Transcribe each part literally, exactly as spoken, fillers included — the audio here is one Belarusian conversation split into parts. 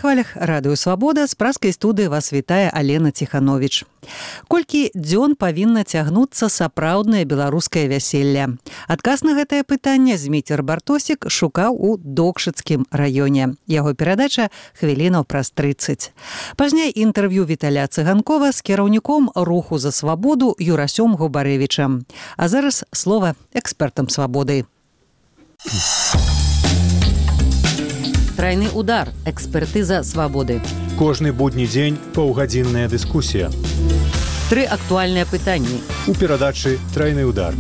хвалях радыё «Свабода» з пражскай студыі вас вітае Алена Ціхановіч. Колькі дзён павінна цягнуцца сапраўднае беларускае вяселле? Адказ на гэтае пытанне Зміцер Бартосік шукаў у Докшыцкім раёне. Яго перадача хвілінаў праз трыццаць. Пазней інтэрв'ю Віталя Цыганкова з кіраўніком руху за свабоду Юрасём Губарэвічам. А зараз слова экспертам «Свабоды». Трайны удар. Экспертыза свабоды. Кожны будні дзень паўгадзінная дыскусія. Тры актуальныя пытанні. У перадачы «Трайны удар».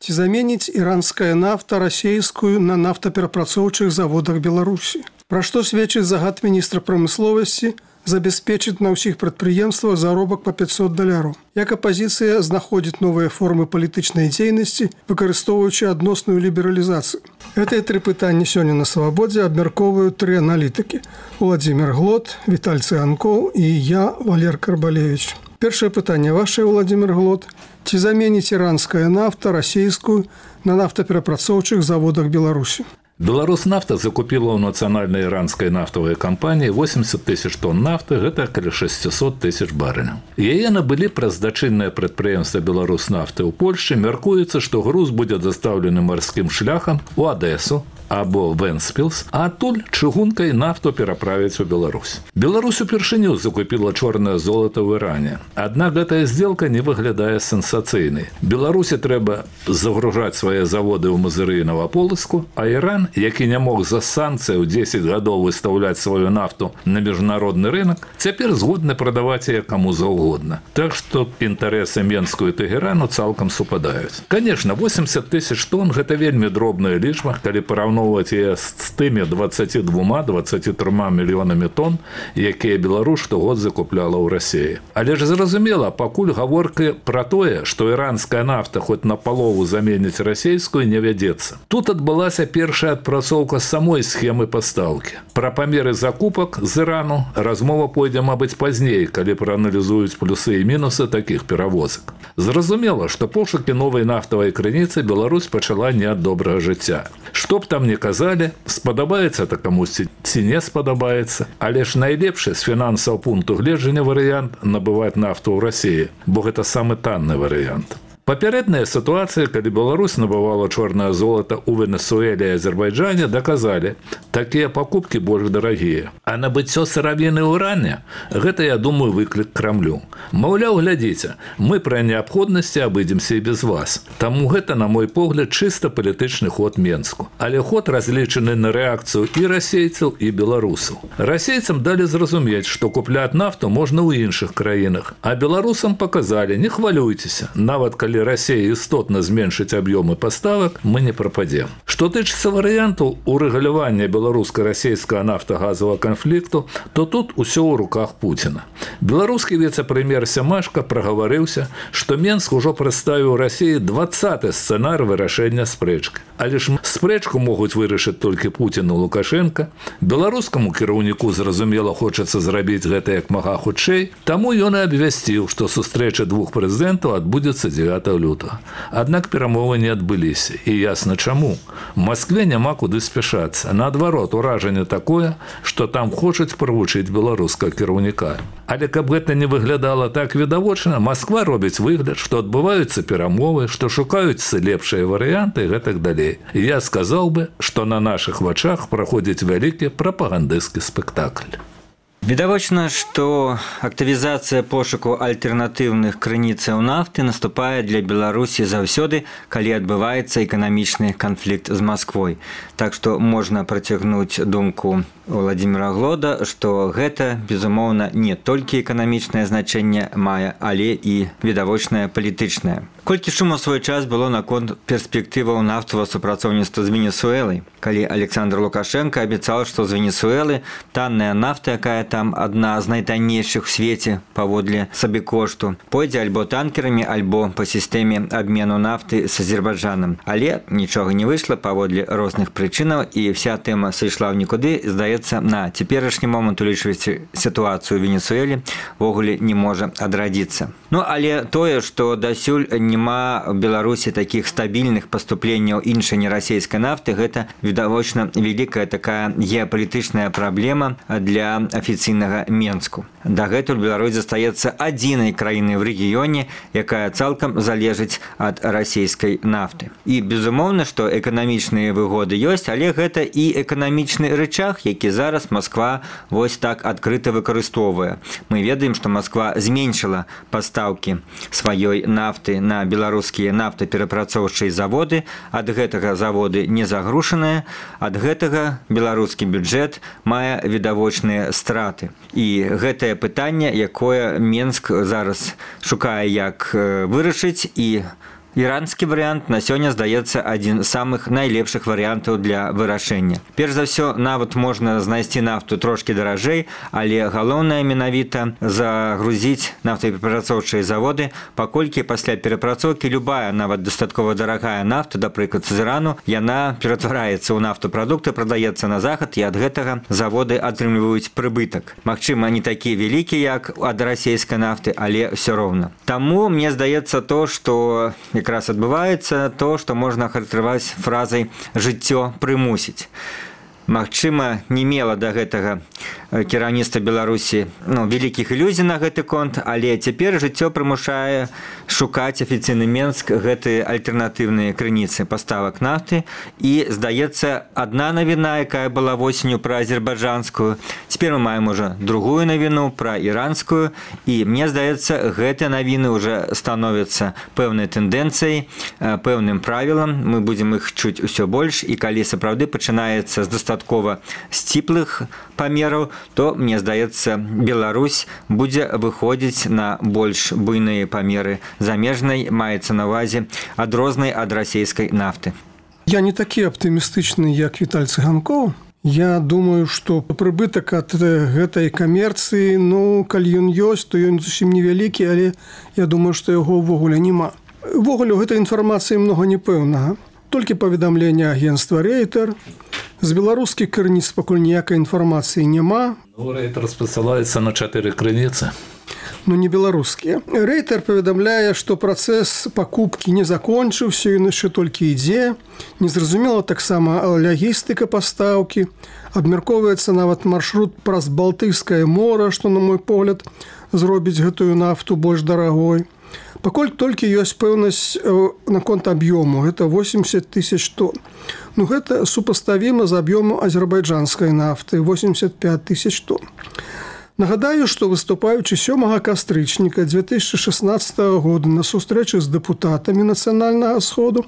Ці заменіць іранская нафта расейскую на нафтаперапрацоўчых заводах Беларусі? Пра што сведчыць загад міністра прамысловасці забяспечыць на ўсіх прадпрыемствах заробак па пятьсот даляраў. Як апазіцыя знаходзіць новыя формы палітычнай дзейнасці, выкарыстоўваючы адносную лібералізацыю? Гэтыя тры пытанні сёння на «Свабодзе» абмяркоўваюць тры аналітыкі: Уладзімір Глот, Віталь Цыганкоў і я, Валер Карбалевіч. Першае пытанне ваше, Уладзімір Глот. Ці заменіць іранская нафта расейскую на нафтаперапрацоўчых заводах Беларусі? Беларуснафта закупила у нацыянальнай іранскай нафтавай кампаніі восемьдесят тысяч тонн нафты, гэта каля шестьсот тысяч барэляў. Яе набылі праз дачыннае прадпрыемства Беларуснафты ў Польшчы. Мяркуецца, што груз будзе дастаўлены марскім шляхам у Адэсу або Вэнспілс, а адтуль чыгункай нафту пераправіць у Беларусь. Беларусь упершыню закупіла чорнае золата ў Іране. Аднак гэтая здзелка не выглядае сенсацыйнай. Беларусі трэба загружаць свае заводы ў Мазыры і Новаполацку, а Іран, які не мог за санкцыі ў дзесяць гадоў выстаўляць сваю нафту на міжнародны рынок, цяпер згодны прадаваць яе каму заўгодна. Так што інтарэсы Менску і Тэгэрану цалкам супадаюць. Канешне, восемьдесят тысяч тонн – гэта вельмі дробная лічба, калі параўноўваць яе з тымі дваццаццю двума - дваццаццю трыма мільёнамі тонн, якія Беларусь штогод закупляла ў Расіі. Але ж зразумела, пакуль гаворка пра тое, што іранская нафта хоць на палову заменіць расейскую, не вядзецца. Тут адбылася першая адпрацоўка самой схемы пастаўкі. Пра памеры закупак з Ірану размова пойдзе, мабыць, пазней, калі прааналізуюць плюсы і мінусы такіх перавозак. Зразумела, што пошукі новай нафтавай крыніцы Беларусь пачала не ад добрага жыцця. Што б там не казалі, спадабаецца это камусьці ці не спадабаецца, але ж найлепшы з фінансавага пункту гледжання варыянт набываць нафту ў Расіі, бо гэта самы танны варыянт. Папярэдная сітуацыя, калі Беларусь набывала чорнае золата ў Венесуэле і Азербайджане, даказалі, такія пакупкі больш дарагія. А набыццё сыравіны ў Іране – гэта, я думаю, выклік Крамлю. Маўляў, глядзіце, мы пры неабходнасці абыдземся і без вас. Таму гэта, на мой погляд, чыста палітычны ход Менску. Але ход разлічаны на рэакцыю і расейцаў, і беларусаў. Расейцам далі зразумець, што купляць нафту можна ў іншых краінах. А беларусам паказалі, не хвалюйцеся, нават калі Расія істотна зменшыць аб'ёмы паставак, мы не прападзем. Што тычыцца варыянту урэгулявання беларуска-расейскага нафтагазавага канфлікту, то тут усё ў руках Пуціна. Беларускі віцэ-прэм'ер Сямашка прагаварыўся, што Менск ужо прадставіў Расіі дваццаты сцэнар вырашэння спрэчкі. Але ж спрэчку могуць вырашыць толькі Пуцін і Лукашенка. Беларускаму кіраўніку, зразумела, хочацца зрабіць гэта як мага хутчэй, таму ён і абвясціў, што сустрэча двух прэзідэнтаў адбудзецца дзевятага лютага. Аднак перамовы не адбыліся. І ясна чаму. Маскве няма куды спяшацца. Наадварот, уражанне такое, што там хочуць правучыць беларускага кіраўніка. Але каб гэта не выглядала так відавочна, Масква робіць выгляд, што адбываюцца перамовы, што шукаюцца лепшыя варыянты і гэтак далей. Я сказаў бы, што на нашых вачах праходзіць вялікі прапагандысцкі спектакль. Відавочна, што актывізацыя пошуку альтэрнатыўных крыніцаў нафты наступае для Беларусі заўсёды, калі адбываецца эканамічны канфлікт з Масквой. Так што можна працягнуць думку Уладзіміра Глода, што гэта, безумоўна, не толькі эканамічнае значэнне мае, але і відавочнае палітычнае. Колькі шуму ў свой час было наконт перспектываў нафтавага супрацоўніцтва з Венесуэлай, калі Александр Лукашенко абяцаў, што з Венесуэлы танная нафта, якая там адна з найтаннейшых у свеце паводле сабекошту, пойдзе альбо танкерамі, альбо па сістэме абмену нафты з Азербайджанам. Але нічога не выйшла паводле розных прычынаў, і вся тэма сышла ў нікуды. Здаецца, здаецца, на цяперашні момант, улічваючы сітуацыю ў Венесуэле, ввогуле не можа адрадзіцца. Ну, але тое, што дасюль няма ў Беларусі такіх стабільных паступленняў іншай нерасійскай нафты, гэта, відавочна, вялікая такая геапалітычная праблема для афіцыйнага Менску. Дагэтуль Беларусь застаецца адзінай краінай ў рэгіёне, якая цалкам залежыць ад расійскай нафты. І, безумоўна, што эканамічныя выгоды ёсць, але гэта і эканамічны рычаг, які зараз Масква вось так адкрыта выкарыстоўвае. Мы ведаем, што Масква зменшыла пастаўкі сваёй нафты на беларускія нафтаперапрацоўчыя заводы. Ад гэтага заводы не загрушаныя, ад гэтага беларускі бюджэт мае відавочныя страты. І гэтае пытанне, якое Менск зараз шукае, як вырашыць, і іранскі варыянт на сёння здаецца адзін з самых найлепшых варыянтаў для вырашэння. Перш за ўсё, нават можна знайсці нафту трошкі даражэй, але галоўнае менавіта загрузіць нафтаперапрацоўчыя заводы, паколькі пасля перапрацоўкі любая, нават дастаткова дарагая нафта, напрыклад, з Ірану, яна ператвараецца ў нафтапрадукты, прадаецца на захад, і ад гэтага заводы атрымліваюць прыбытак. Магчыма, не такі вялікі, як ад расійскай нафты, але ўсё роўна. Таму мне здаецца то, што якраз адбываецца то, што можна ахарактарызаваць фразай «жыццё прымусіць». Магчыма, не мела да гэтага кіраўніцтва Беларусі ну, вялікіх ілюзій на гэты конт, але цяпер жыццё прымушае шукаць афіцыйны Менск гэтыя альтэрнатыўныя крыніцы паставак нафты. І, здаецца, адна навіна, якая была восенню пра азербайджанскую, цяпер мы маем ужо другую навіну пра іранскую, і мне здаецца, гэтыя навіны ўжо становяцца пэўнай тэндэнцыяй, пэўным правілам, мы будзем іх чуць усё больш, і калі сапраўды пачынаецца з дастаткова сціплых памераў, то, мне здаецца, Беларусь будзе выходзіць на больш буйныя памеры замежнай, маецца на ўвазе адрознай ад расійскай нафты. Я не такі аптымістычны, як Віталь Цыганкоў. Я думаю, што прыбытак ад гэтай камерцыі, ну, калі ён ёсць, то ён зусім невялікі, але я думаю, што яго ўвогуле няма. Увогуле, у гэтай інфармацыі многа непэўнага. Толькі паведамленне агенцтва «Рейтер». З беларускіх крыніц пакуль ніякай інфармацыі няма. Ну, «Рейтер» спасылаецца на чатыры крыніцы. Ну, не беларускія. «Рейтер» паведамляе, што працэс пакупкі не закончыўся, ён яшчэ толькі ідзе. Незразумела таксама лагістыка пастаўкі. Абмяркоўваецца нават маршрут праз Балтыйскае мора, што, на мой погляд, зробіць гэтую нафту больш дарагой. Пакуль толькі ёсць пэўнасць наконт аб'ёму, гэта восемьдесят тысяч тонн. Ну, гэта супаставіма з аб'ёму азербайджанскай нафты, восемьдесят пять тысяч тонн. Нагадаю, што выступаючы сёмага кастрычніка две тысячи шестнадцатого года на сустрэчы з дэпутатамі нацыянальнага сходу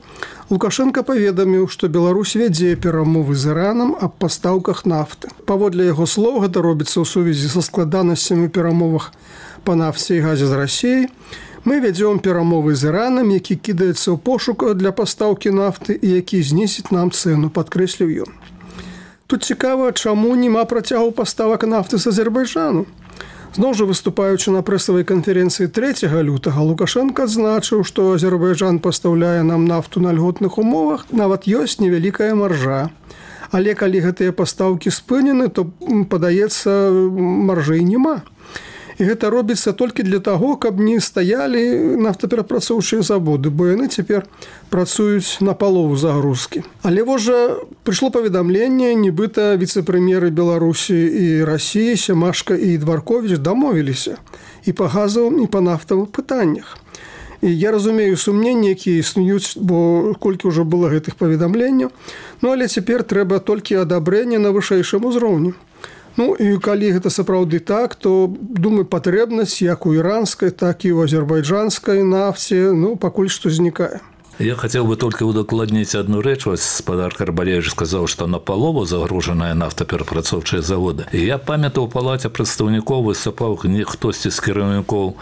Лукашенко паведаміў, што Беларусь вядзе перамовы з Іранам аб пастаўках нафты. Паводле яго слоў, гэта робіцца ў сувязі са складанасцямі перамовах па нафце і газе з Расіяй. Мы вядзём перамовы з Іранам, які кідаецца ў пошуку для пастаўкі нафты і які знізіць нам цэну, падкрэсліў ён. Тут цікава, чаму няма працягу паставак нафты з Азербайджану. Зноў жа, выступаючы на прэсавай канферэнцыі трэцяга лютага, Лукашенко адзначыў, што Азербайджан пастаўляе нам нафту на льготных умовах, нават ёсць невялікая маржа. Але калі гэтыя пастаўкі спынены, то, падаецца, маржэй няма. І гэта робіцца толькі для таго, каб не стаялі нафтаперапрацоўчыя заводы, бо яны цяпер працуюць на палову загрузкі. Але вось жа прыйшло паведамленне, нібыта віцэ-прэм'еры Беларусі і Расіі Сямашка і Дварковіч дамовіліся і па газавым, і па нафтавых пытаннях. І я разумею сумненні, якія існуюць, бо колькі ўжо было гэтых паведамленняў, ну але цяпер трэба толькі адабрэнне на вышэйшым узроўні. Ну, і калі гэта сапраўды так, то, думаю, патрэбнасць як у іранскай, так і ў азербайджанскай нафце, ну, пакуль што знікае. Я хотел бы только удокладнить одну рэч. Гаспадар Карбалевич сказал, что на палову загруженная нафтаперапрацоўчыя заводы. И я памятаю, у палаце прадстаўнікоў выступаў хтосьці з кіраўнікоў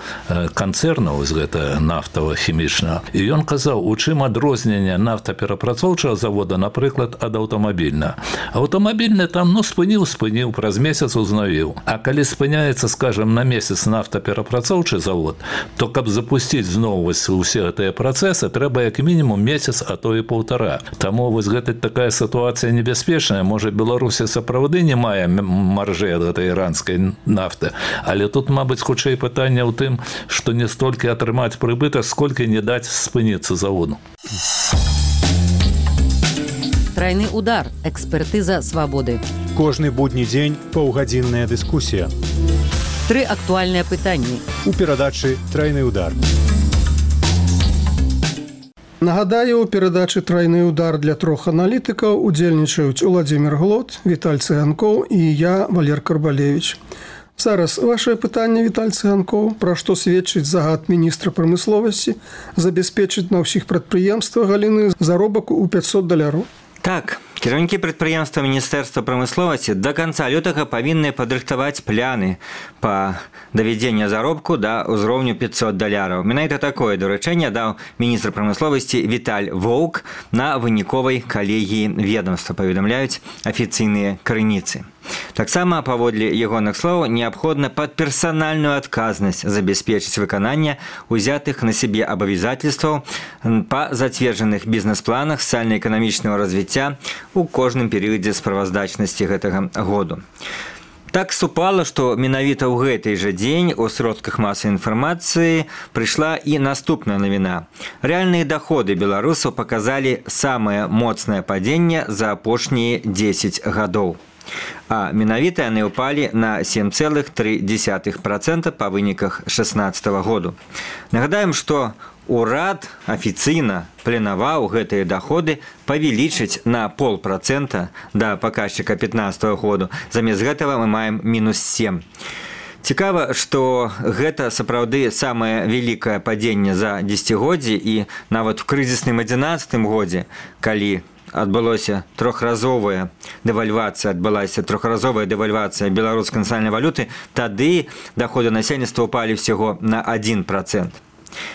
канцэрнаў з гэта нафтава-хімічнага. І ён казаў, у чым адрозненне нафтаперапрацоўчага завода, напрыклад, ад аўтамабільнага. Аўтамабільны там, ну, спыніў, спыніў, праз месяц узнавіў. А калі спыняецца, скажем, на месяц нафтаперапрацоўчы завод, то каб запусціць зноў усе гэтыя працэсы, трэба як як мінімум месяц, а то і паўтара. Таму вось гэта такая сітуацыя небяспечная. Можа, Беларусі сапраўды не мае маржы ад гэтай іранскай нафты, але тут, мабыць, хутчэй пытанне ў тым, што не столькі атрымаць прыбытак, сколькі не даць спыніцца заводу. Трайны удар. Экспертыза свабоды. Кожны будні дзень паўгадзінная дыскусія. Тры актуальныя пытанні. У перадачы «Трайны удар». Нагадаю, у перадачы «Трайны удар» для трох аналітыкаў удзельнічаюць Уладзімір Глот, Віталь Цыганкоў і я, Валер Карбалевіч. Зараз вашае пытанне, Віталь Цыганкоў, пра што сведчыць загад міністра прамысловасці забяспечыць на ўсіх прадпрыемствах галіны заробак у пятьсот даляраў. Так, кіраўнікі прадпрыемства Міністэрства прамысловасці да канца лютага павінны падрыхтаваць пляны па давядзенню заробку да ўзроўню пятьсот даляраў. Менавіта такое даручэнне даў міністр прамысловасці Віталь Воўк на выніковай калегіі ведомства, паведамляюць афіцыйныя крыніцы. Таксама, паводле ягоных слоў, неабходна пад персанальную адказнасць забяспечыць выкананне узятых на сябе абавязательстваў па зацверджаных бізнес-планах сацыяльна-эканамічнага развіцця у кожным перыядзе справаздачнасці гэтага году. Так супала, што менавіта ў гэты жа дзень у сродках масавай інфармацыі прыйшла і наступная навіна. Рэальныя даходы беларусаў паказалі самае моцнае падзенне за апошнія дзесяць гадоў. А менавіта яны ўпалі на сем цэлых тры дзесятых працэнта па выніках шэснаццатага году. Нагадаем, што урад афіцыйна планаваў гэтыя даходы павялічыць на полпрацэнта да паказчыка пятнаццатага году. Замест гэтага мы маем мінус сем. Цікава, што гэта сапраўды самае вялікае падзенне за дзесяцігоддзе, і нават у крызісным адзінаццатым годзе, калі адбылося трохразовая дэвальвацыя, адбылася трохразовая дэвальвацыя беларускай нацыянальнай валюты, тады даходы насельніцтва ўпалі ўсяго на адзін працэнт.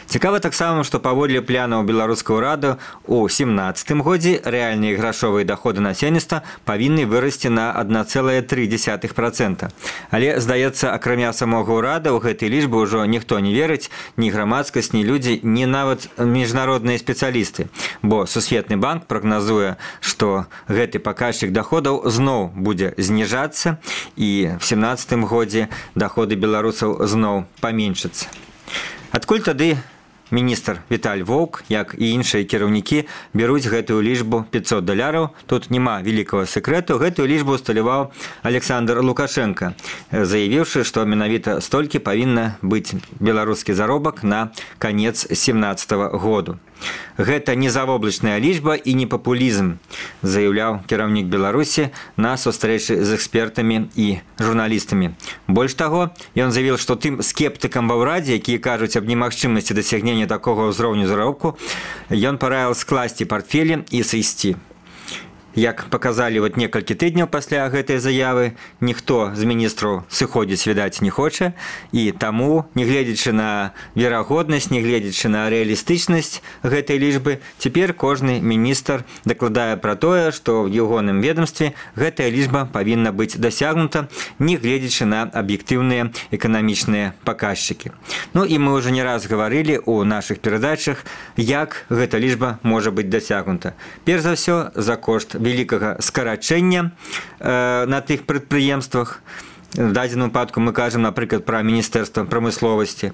Цікава таксама, што паводле планаў беларускага ўраду у семнаццатым годзе рэальныя грашовыя даходы насельніцтва павінны вырасці на адна цэлая тры дзесятых працэнта. Але, здаецца, акрамя самога ўрада ў гэтай лічбы ўжо ніхто не верыць, ні грамадскасць, ні людзі, ні нават міжнародныя спецыялісты. Бо Сусветны банк прагназуе, што гэты паказчык даходаў зноў будзе зніжацца, і в семнаццатым годзе даходы беларусаў зноў паменшацца. Адкуль тады міністр Віталь Воўк, як і іншыя кіраўнікі, бяруць гэтую лічбу пятьсот даляраў? Тут няма вялікага сэкрэту. Гэтую лічбу усталяваў Александр Лукашенко, заявіўшы, што менавіта столькі павінна быць беларускі заробак на канец семнаццатага году. Гэта не завоблачная лічба і не папулізм, заяўляў кіраўнік Беларусі на сустрэчы з экспертамі і журналістамі. Больш таго, ён заявіў, што тым скептыкам ва ўрадзе, якія кажуць аб немагчымасці дасягнення такога ўзроўню заробку, ён параіў скласці партфелі і сысці. Як паказалі вот некалькі тыдняў пасля гэтай заявы, ніхто з міністраў сыходзіць, відаць, не хоча, і таму, нягледзячы на верагоднасць, нягледзячы на рэалістычнасць гэтай лічбы, цяпер кожны міністр дакладае пра тое, што ў ягоным ведомстве гэтая лічба павінна быць дасягнута, нягледзячы на аб'ектыўныя эканамічныя паказчыкі. Ну і мы ўжо не раз гаварылі ў нашых перадачах, як гэта лічба можа быць дасягнута. Перш за ўсё, за кошт вялікага скарачэння э, на тых прадпрыемствах. В дадзеным выпадку мы кажам, напрыклад, пра Міністэрства прамысловасці.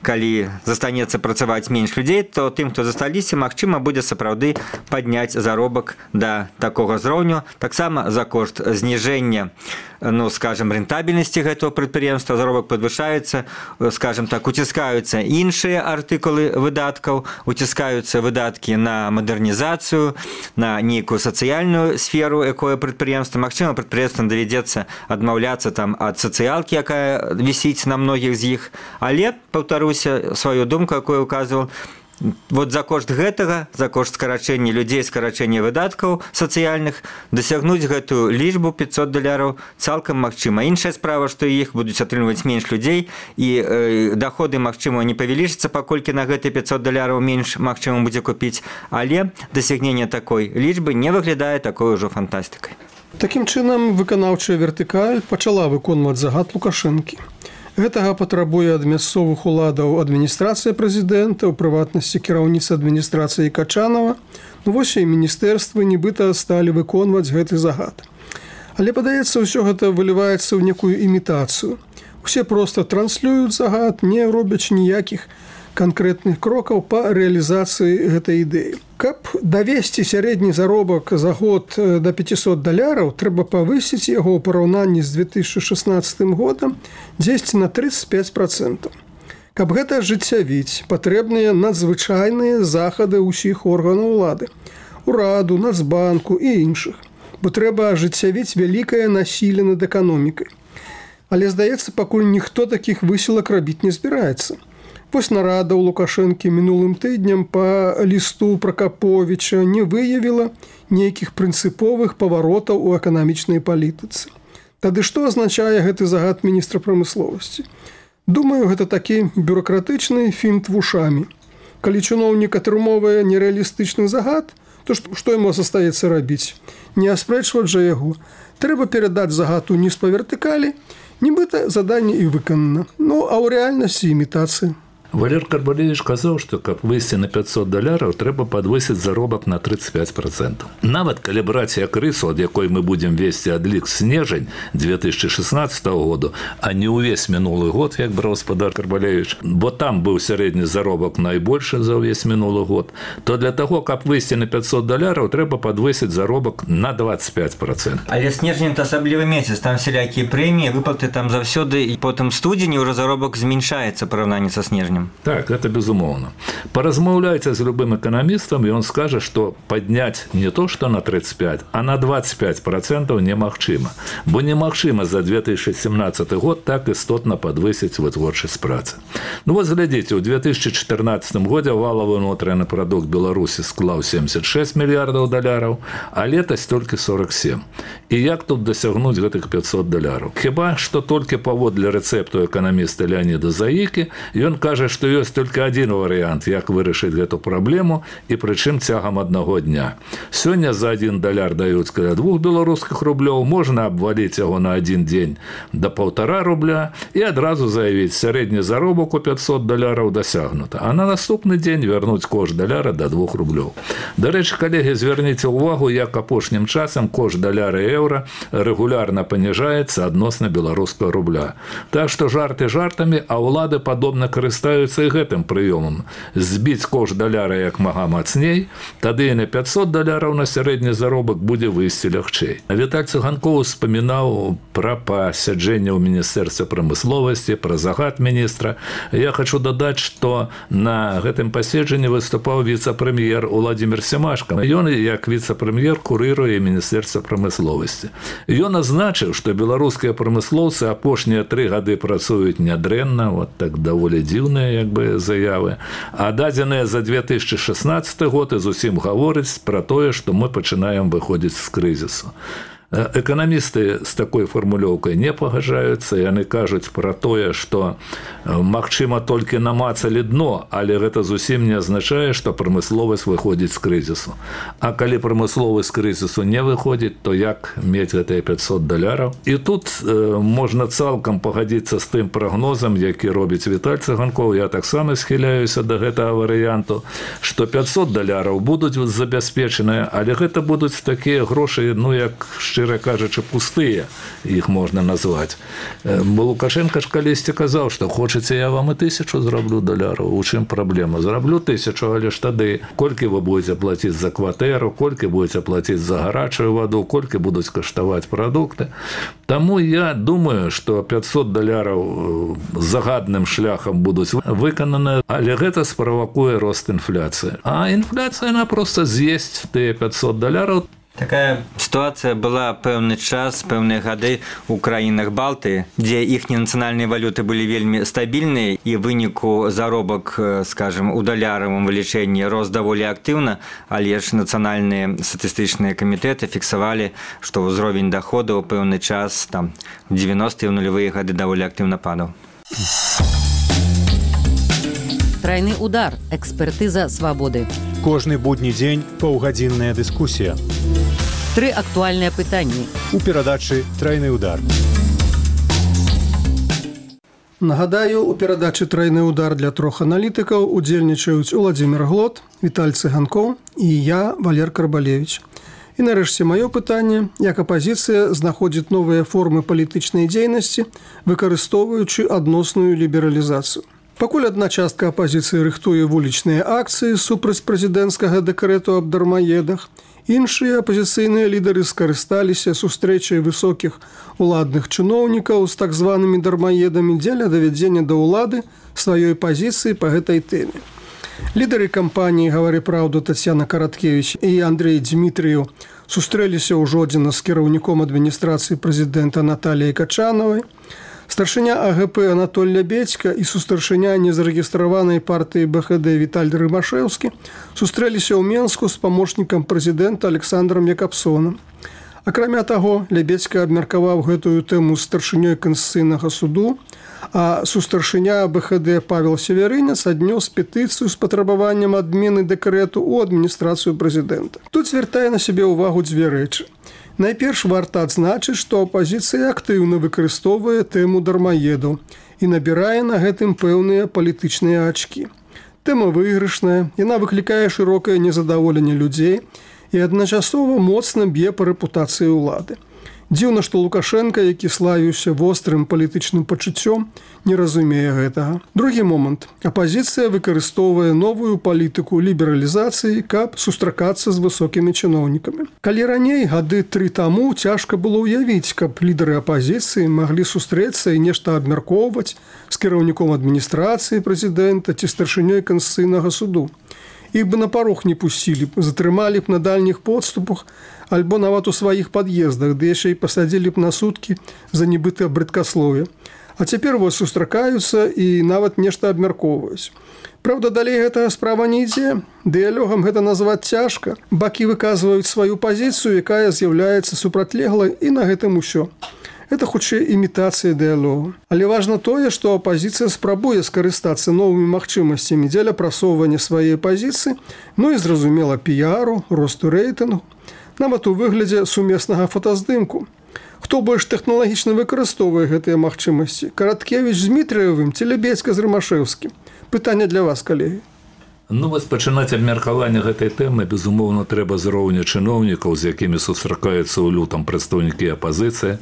Калі застанецца працаваць менш людзей, то тым, хто засталіся, магчыма, будзе сапраўды падняць заробак да такога ўзроўню. Таксама за кошт зніжэння, ну, скажем, рэнтабельнасці гэтага прадпрыемства заробак падвышаецца, скажем так, уціскаюцца іншыя артыкулы выдаткаў, уціскаюцца выдаткі на мадэрнізацыю, на нейкую сацыяльную сферу, якое прадпрыемства. Магчыма, прадпрыемствам давядзецца адмаўляцца там ад сацыялкі, якая вісіць на многіх з іх, але, паўтару, сваю думку, якую указывал, вот за кошт гэтага, за кошт скарачэння людзей, скарачэння выдаткаў сацыяльных, дасягнуць гэтую лічбу пятьсот даляраў цалкам магчыма. Іншая справа, што іх будуць атрымліваць менш людзей, і э, даходы, магчыма, не павялічацца, паколькі на гэты пятьсот даляраў менш магчыма будзе купіць, але дасягненне такой лічбы не выглядае такой ужо фантастыкай. Такім чынам, выканаўчая вертыкаль пачала выконваць загад Лукашэнкі. Гэтага патрабуе ад мясцовых уладаў адміністрацыя прэзідэнта, у прыватнасці кіраўніца адміністрацыі Качанова. Ну, вось і міністэрствы нібыта сталі выконваць гэты загад. Але, падаецца, ўсё гэта выліваецца ў некую імітацыю. Усе проста транслююць загад, не робяць ніякіх канкрэтных крокаў па рэалізацыі гэтай ідэі. Каб давесці сярэдні заробак за год да пяцісот даляраў, трэба павысіць яго ў параўнанні з две тысячы шаснаццатым годам дзесьці на тридцать пять процентов. Каб гэта ажыццявіць, патрэбныя надзвычайныя захады ўсіх органаў улады, ураду, Нацбанку і іншых, бо трэба ажыццявіць вялікае насілле над эканомікай. Але, здаецца, пакуль ніхто такіх высілак рабіць не збіраецца. Вось нарада ў Лукашэнкі мінулым тыднем па лісту Пракаповіча не выявіла нейкіх прынцыповых паваротаў у эканамічнай палітыцы. Тады што азначае гэты загад міністра прамысловасці? Думаю, гэта такі бюракратычны фінт вушамі. Калі чыноўнік атрымоўвае нерэалістычны загад, то што яму застаецца рабіць? Не аспрэчваць жа яго. Трэба перадаць загад уніз па вертыкалі, нібыта заданне і выканана. Ну, а ў рэальнасці імітацыя. Валер Карбалевич казаў, што каб выйсці на пятьсот даляраў, трэба падвысіць заробак на тридцать пять процентов. Нават калі браць як рысу, ад якой мы будзем весці адлік снежань две тысячи шестнадцатого году, а не ўвесь мінулы год, як браў гаспадар Карбалевич, бо там быў сярэдні заробак найбольшы за ўвесь мінулы год, то для таго, каб выйсці на пятьсот даляраў, трэба падвысіць заробак на двадцать пять процентов. Але снежань это асаблівы месяц, там всялякія прэміі, выплаты там заўсёды, і потым студзені ўжо заробак змяншаецца параўнанні са снежнем. Так, это безумоўно. Поразмаўляйце з любым эканамістам, і он скажа, што падняць не то, што на тридцать пять, а на двадцать пять процентов немагчыма. Бо немагчыма за две тысячи семнадцатый год так істотна падвысіць вытворчасць працы. Ну вот глядзіце, у две тысячи четырнадцатым годзе валавы ўнутраны прадукт Беларусі склаў семьдесят шесть мільярдаў даляраў, а летась толькі сорок семь. І як тут дасягнуць гэтых пятьсот даляраў? Хіба што толькі паводле рэцэпту эканаміста Леаніда Заікі, ён кажа, што ёсць толькі адзін варыянт, як вырашыць гэту праблему, і прычым цягам аднаго дня. Сёння за адзін даляр даюць каля двух беларускіх рублёў, можна абваліць яго на адзін дзень да паўтара рубля і адразу заявіць, сярэдні заробак у пятьсот даляраў дасягнута, а на наступны дзень вярнуць кошт даляра да двух рублёў. Дарэчы, калегі, звярніце ўвагу, як апошнім часам кошт даляра і еўра рэгулярна паніжаецца адносна беларускага рубля. Так што жарты жартамі, а ўлады падобна карыстаюцца і гэтым прыёмам. Збіць кошт даляра як мага мацней, тады і на пятьсот даляраў на сярэдні заробак будзе выйсці лягчэй. Віталь Цыганкоў успамінаў пра пасяджэнне ў міністэрстве прамысловасці, пра загад міністра. Я хочу дадаць, што на гэтым паседжанні выступаў віцэ-прэм'ер Уладзімір Семашка. Ён, як віцэ-прэм'ер, курыруе міністэрства прамысловасці. Ён азначыў, што беларускія прамыслоўцы апошнія тры гады працуюць нядрэнна, вот так даволі дзіўныя як бы заявы, а дадзеныя за две тысячи шестнадцатый год і зусім гаворыць пра тое, што мы пачынаем выходзіць з крызісу. Эканамісты з такой фармулёўкай не пагажаюцца, яны кажуць пра тое, што магчыма толькі намацалі дно, але гэта зусім не азначае, што прамысловасць выходзіць з крызісу. А калі прамысловасць з крызісу не выходзіць, то як мець гэтыя пятьсот даляраў? І тут э, можна цалкам пагадзіцца з тым прагнозам, які робіць Віталь Цыганкоў. Я таксама схіляюся да гэтага варыянту, што пятьсот даляраў будуць забяспечаныя, але гэта будуць такія грошы, ну як шчыра кажучы, пустыя, іх можна назваць. Бо Лукашенко ж калісьці казаў, што хочаце, я вам і тысячу зраблю даляраў. У чым праблема? Зраблю тысячу, але ж тады колькі вы будете плаціць за кватэру, колькі будете плаціць за гарачую ваду, колькі будуць каштаваць прадукты. Таму я думаю, што пятьсот даляраў загадным шляхам будуць выкананы, але гэта справакуе рост інфляцыі. А інфляцыя, яна проста з'есць тыя пятьсот даляраў. Такая ситуация была пэўны час, пэўныя гады ў краінах Балтыі, дзе іхнія нацыянальныя валюты былі вельмі стабільныя, і выніку заробак, скажем, у даляравым вылічэнні рос даволі актыўна, але ж нацыянальныя статыстычныя камітэты фіксавалі, што ўзровень даходаў у пэўны час, там, девяностые і нулевыя гады даволі актыўна падаў. Трайны удар. Экспертыза свабоды. Кожны будні дзень паўгадзінная дыскусія. Тры актуальныя пытанні. У перадачы «Трайны удар». Нагадаю, у перадачы «Тройны удар» для трох аналітыкаў удзельнічаюць Уладзімір Глот, Віталь Цыганкоў і я, Валер Карбалевіч. І нарэшце маё пытанне, як апазіцыя знаходзіць новыя формы палітычнай дзейнасці, выкарыстоўваючы адносную лібералізацыю. Пакуль адна частка апазіцыі рыхтуе вулічныя акцыі супраць прэзідэнцкага дэкрэту аб дармаедах, іншыя апазіцыйныя лідары скарысталіся сустрэчай высокіх уладных чыноўнікаў з так званымі дармаедамі дзеля давядзення да ўлады сваёй пазіцыі па гэтай тэме. Лідары кампаніі «Гавары праўду» Тацьяна Караткевіч і Андрэй Дзмітрыеў сустрэліся ў Жодзіна з кіраўніком адміністрацыі прэзідэнта Наталіяй Качанавай, старшыня А Г П Анатоль Лябедзька і сустаршыня незарэгістраванай партыі Б Х Д Віталь Рымашэўскі сустрэліся ў Менску з памочнікам прэзідэнта Александром Якабсонам. Акрамя таго, Лябедзька абмеркаваў гэтую тэму з старшынёй Канстытуцыйнага суду, а сустаршыня Б Х Д Павел Северынец аднёс петыцыю з патрабаваннем адмены дэкрэту ў адміністрацыю прэзідэнта. Тут звяртае на сябе ўвагу дзве рэчы. Найперш варта адзначыць, што апазіцыя актыўна выкарыстоўвае тэму дармаедаў і набірае на гэтым пэўныя палітычныя ачкі. Тэма выйгрышная, яна выклікае шырокае незадаволенне людзей і адначасова моцна б'е па рэпутацыі ўлады. Дзіўна, што Лукашенка, які славіўся вострым палітычным пачуццём, не разумее гэтага. Другі момант. Апазіцыя выкарыстоўвае новую палітыку лібералізацыі, каб сустракацца з высокімі чыноўнікамі. Калі раней, гады тры таму, цяжка было ўявіць, каб лідары апазіцыі маглі сустрэцца і нешта абмяркоўваць з кіраўніком адміністрацыі прэзідэнта ці старшынёй Канстытуцыйнага суду. Іх бы на парог не пусцілі б, затрымалі б на дальніх подступах, альбо нават у сваіх пад'ездах, ды яшчэ і пасадзілі б на суткі за нібытае брыдкаслове. А цяпер вось сустракаюцца і нават нешта абмяркоўваюць. Праўда, далей гэтая справа не ідзе. Дыялогам гэта назваць цяжка. Бакі выказваюць сваю пазіцыю, якая з'яўляецца супрацьлеглай, і на гэтым усё. Это хутчэй імітацыя дыялогу. Але важна тое, што апазіцыя спрабуе скарыстацца новымі магчымасцямі дзеля прасоўвання сваёй пазіцыі, ну і, зразумела, піяру, росту рэйтынгу, нават у выглядзе сумеснага фотаздымку. Хто больш тэхналагічна выкарыстоўвае гэтыя магчымасці? Караткевіч з Дмітрыевым ці Лябедзька з Рымашэўскім? Пытанне для вас, калегі. Ну, вось пачынаць абмеркаванне гэтай тэмы, безумоўна, трэба з роўня чыноўнікаў, з якімі сустракаюцца ў лютам прадстаўнікі апазіцыі,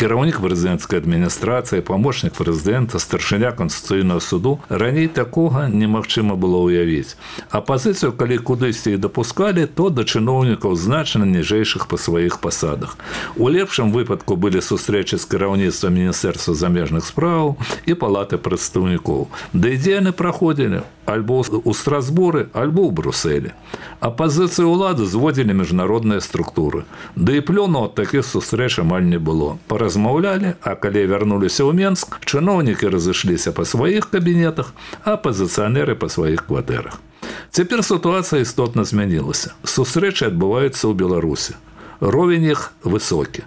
кіраўнік прэзідэнцкай адміністрацыі, памочнік прэзідэнта, старшыня Канстытуцыйнага суду. Раней такога немагчыма было ўявіць. Апазіцыю, калі кудысьці і дапускалі, то да чыноўнікаў значна ніжэйшых па сваіх пасадах. У лепшым выпадку былі сустрэчы з кіраўніцтвам Міністэрства замежных спраў і палаты прадстаўнікоў. Да ідзе яны праходзілі альбо ў Страсбуры, альбо ў Брусэлі. Апазіцыю ўлады зводзілі міжнародныя структуры. Да і плёну ад такіх сустрэч амаль не было. Паразмаўлялі, а калі вярнуліся ў Менск, чыноўнікі разышліся па сваіх кабінетах, а апазіцыянеры па сваіх кватэрах. Цяпер сітуацыя істотна змянілася. Сустрэчы адбываюцца ў Беларусі. Ровень іх высокі.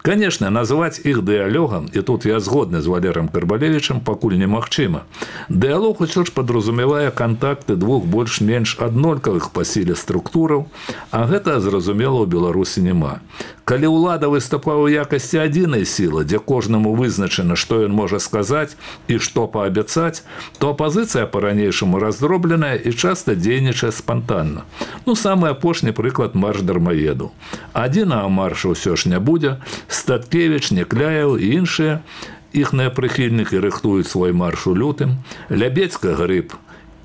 Конечно, назвать их диалогом, и тут я згодны з Валером Карбалевичем, пакуль немагчыма. Диалог усё ж падразумевае контакты двух больш-менш аднолькавых па сіле структураў, а гэта, зразумела, у Беларусі няма. Калі ўлада выступае ў якасці адзінай сілы, дзе кожнаму вызначана, што ён можа сказаць і што паабяцаць, то апазіцыя па-ранейшаму раздробленая і часта дзейнічае спантанна. Ну, самы апошні прыклад марш дармаедаў. Адзінага марша ўсё ж не будзе. Статкевіч, Некляеў і іншыя іхныя прыхільнікі рыхтуюць свой марш у лютым. Лябедзька, Грыб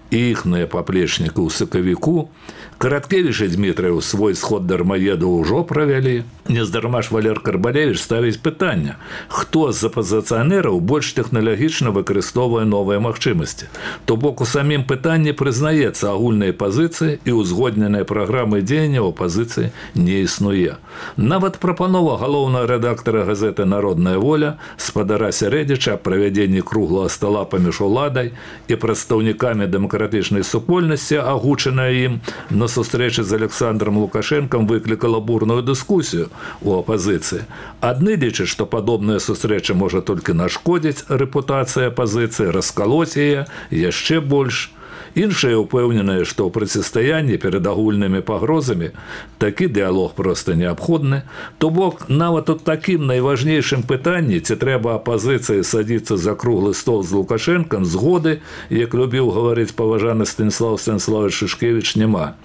і іхныя паплечнікі ў сакавіку. Караткевіч і Дмітрыеў свой сход дармаедаў ужо правялі. Нездарма ж Валер Карбалевич ставіць пытанне, хто з апазіцыянераў больш тэхналагічна выкарыстоўвае новыя магчымасці. То бок у самім пытанні прызнаецца агульнай пазіцыі і ўзгодненай праграмы дзеянняў апазіцыі не існуе. Нават прапанова галоўнага рэдактара газеты «Народная воля» спадара Сярэдзіча аб правядзенні круглага стала паміж уладай і прадстаўнікамі дэмакратычнай супольнасці, агучаная ім на сустрэчы з Александром Лукашенком, выклікала бурную дыскусію у апазіцыі. Адны лічаць, што падобная сустрэча можа толькі нашкодзіць рэпутацыі апазіцыі, раскалоць яе яшчэ больш. Іншыя ўпэўненыя, што ў процістаянні перад агульнымі пагрозамі такі дыялог проста неабходны, то бок нават у такім найважнейшым пытанні, ці трэба апазіцыі садзіцца за круглы стол з Лукашэнкам, згоды, як любіў гаварыць паважаны Станіслав Станіславович Шышкевіч, няма.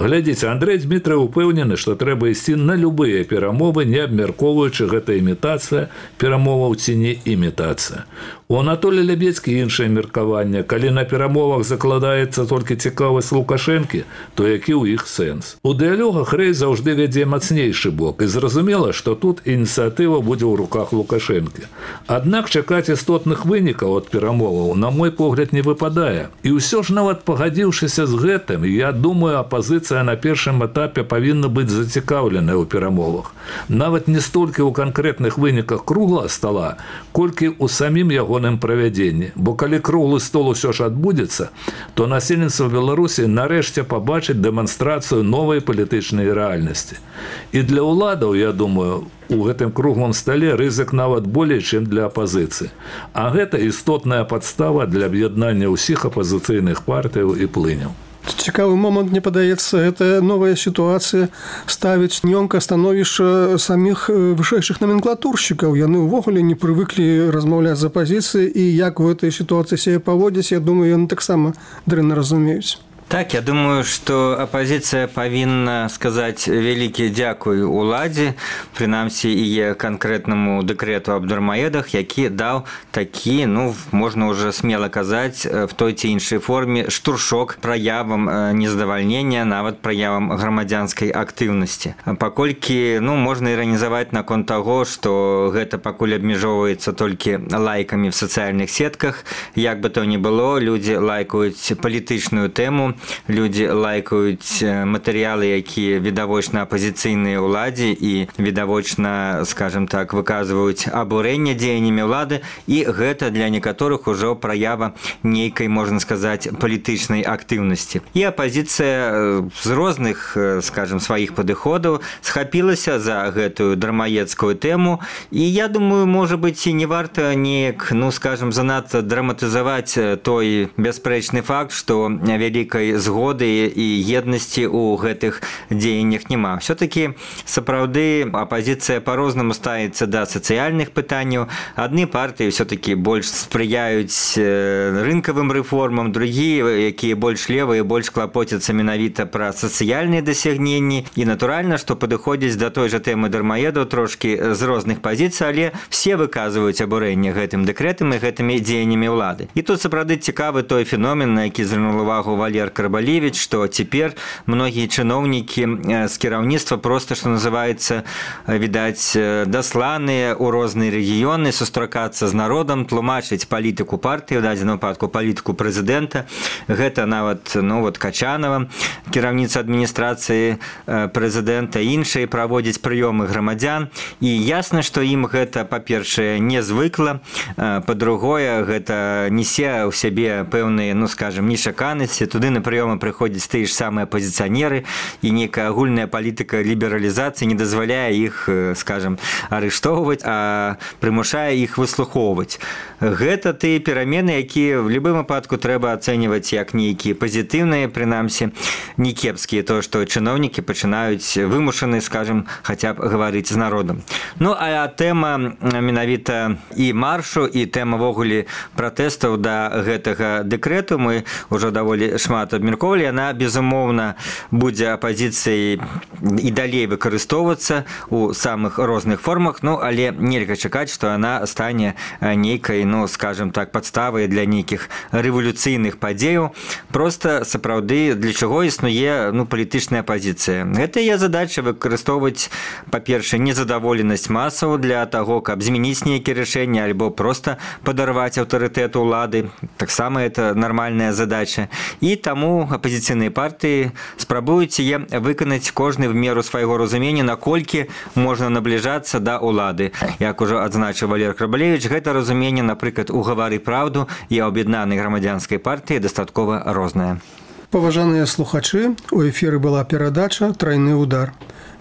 Глядзіце, Андрэй Дмітрый упэўнены, што трэба ісці на любыя перамовы, не абмяркоўваючы гэта імітацыя перамоваў ці не імітацыя. У Анатолія Лябедзькі іншае меркаванне. Калі на перамовах закладаецца толькі цікавасць Лукашэнкі, то які ў іх сэнс? У дыялогах Рэй заўжды вядзе мацнейшы бок, і зразумела, што тут ініцыятыва будзе ў руках Лукашэнкі. Аднак чакаць істотных вынікаў ад перамоваў, на мой погляд, не выпадае. І ўсё ж нават пагадзіўшыся з гэтым, я думаю, апазіцыя на першым этапе павінна быць зацікаўленая ў перамовах. Нават не столькі ў канкрэтных выніках круглага стола, колькі ў самім яго правядзенні. Бо калі круглы стол усё ж адбудзецца, то насельніцтва Беларусі нарэшце пабачыць дэманстрацыю новай палітычнай рэальнасці. І для ўладаў, я думаю, у гэтым круглым стале рызык нават болей, чым для апазіцыі. А гэта істотная падстава для аб'яднання ўсіх апазіцыйных партыяў і плыняў. Цікавы момант, мне падаецца, гэта новая сітуацыя ставіць нёмка становішча саміх вышэйшых номенклатуршчыкаў. Яны ўвогуле не прывыклі размаўляць з апазіцыяй, і як у гэтай сітуацыі сябе паводзіць, я думаю, яны таксама дрэнна разумеюць. Так, я думаю, што апазіцыя павінна сказаць вялікі дзякуй уладзе, прынамсі і канкрэтнаму дэкрэту аб дармаедах, які даў такі, ну, можна ўжо смела казаць, в той ці іншай форме штуршок праявам нездавальнення, нават праявам грамадзянскай актыўнасці. Паколькі, ну, можна іранізаваць наконт таго, што гэта пакуль абмяжоўваецца толькі лайкамі в сацыяльных сетках. Як бы то ні было, людзі лайкаюць палітычную тэму, людзі лайкаюць матэрыялы, якія відавочна апазіцыйныя ўладзе і відавочна, скажем так, выказваюць абурэнне дзеяннямі ўлады, і гэта для некаторых ужо праява нейкай, можна сказаць, палітычнай актыўнасці. І апазіцыя з розных, скажем, сваіх падыходаў схапілася за гэтую дармаедскую тэму, і я думаю, можа быць, і не варта неяк, ну, скажем, занадта драматызаваць той бясспрэчны факт, што вялікай згоды і еднасці ў гэтых дзеяннях няма. Все-таки, сапраўды, апазіцыя па-рознаму ставіцца да сацыяльных пытанняў. Адны партыі все-таки больш спрыяюць рынкавым рэформам, другія, якія больш левыя, больш клапоцяцца менавіта пра сацыяльныя дасягненні. І натуральна, што падыходзіць да той жа тэмы дармаедаў трошкі з розных пазіцый, але все выказваюць абурэнне гэтым дэкрэтам і гэтымі дзеяннямі ўлады. І тут сапраўды цікавы той феномен, на які звярнуў увагу Валер Карбалевич, што цяпер многія чыноўнікі з кіраўніцтва проста, што называецца, відаць, дасланыя ў розныя рэгіёны сустракацца з народам, тлумачыць палітыку партыі, у дадзеным выпадку палітыку прэзідэнта. Гэта нават, ну, вот Качанова, кіраўніца адміністрацыі прэзідэнта, іншыя праводзяць прыёмы грамадзян. І ясна, што ім гэта, па-першае, не звыкла, па-другое, гэта несе ў сябе пэўныя, ну, скажем, нечаканасці. Туды на прыёмы прыходзяць тыя ж самыя апазіцыянеры, і некая агульная палітыка лібералізацыі не дазваляе іх, скажем, арыштоўваць, а прымушае іх выслухоўваць. Гэта тыя перамены, якія в любым выпадку трэба ацэньваць як нейкія пазітыўныя, прынамсі, не кепскія, то, што чыноўнікі пачынаюць вымушаны, скажем, хаця б гаварыць з народам. Ну, а тэма менавіта і маршу, і тэма ввогуле пратэстаў да гэтага дэкрэту мы ўжо даволі шмат абмяркоўвалі, яна, безумоўна, будзе апазіцыяй і далей выкарыстоўвацца ў самых розных формах, ну, але нельга чакаць, што яна стане нейкай, ну, скажем так, падставай для нейкіх рэвалюцыйных падзеяў. Проста, сапраўды, для чаго існуе, ну, палітычная апазіцыя. Гэта яе задача выкарыстоўваць, па-першае, незадаволенасць масаў для таго, каб змяніць нейкія рашэнні альбо проста падарваць аўтарытэт улады. Таксама это нармальная задача. І таму апазіцыйныя партыі спрабуюць яе выканаць кожны в меру свайго разумення, наколькі можна набліжацца да улады. Як ужо адзначыў Валер Карбалевич, гэта разуменне, напрыклад, у «Гавары праўду» і аб'яднанай грамадзянскай партыі дастаткова рознае. Паважаныя слухачы, у эфіры была перадача «Трайны удар».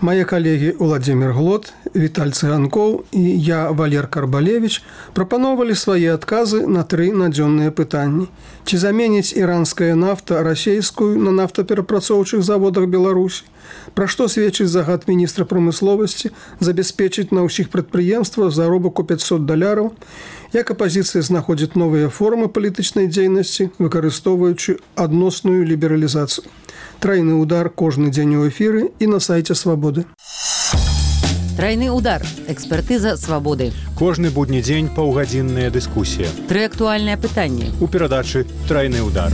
Мае калегі Уладзімір Глот Віталь Цыганкоў і я, Валер Карбалевич, прапановалі свае адказы на тры надзённыя пытанні. Ці заменіць іранская нафта расейскую на нафтаперапрацоўчых заводах Беларусі? Пра што сведчыць загад міністра прамысловасці забяспечыць на ўсіх прадпрыемствах заробак у пятьсот даляраў? Як апазіцыя знаходзіць новыя формы палітычнай дзейнасці, выкарыстоўваючы адносную лібералізацыю? Трайны удар кожны дзень у эфіры і на сайце Свабоды. Трайны удар. Экспертыза Свабоды. Кожны будні дзень паўгадзінная дыскусія. Тры актуальныя пытанні. У перадачы «Трайны удар».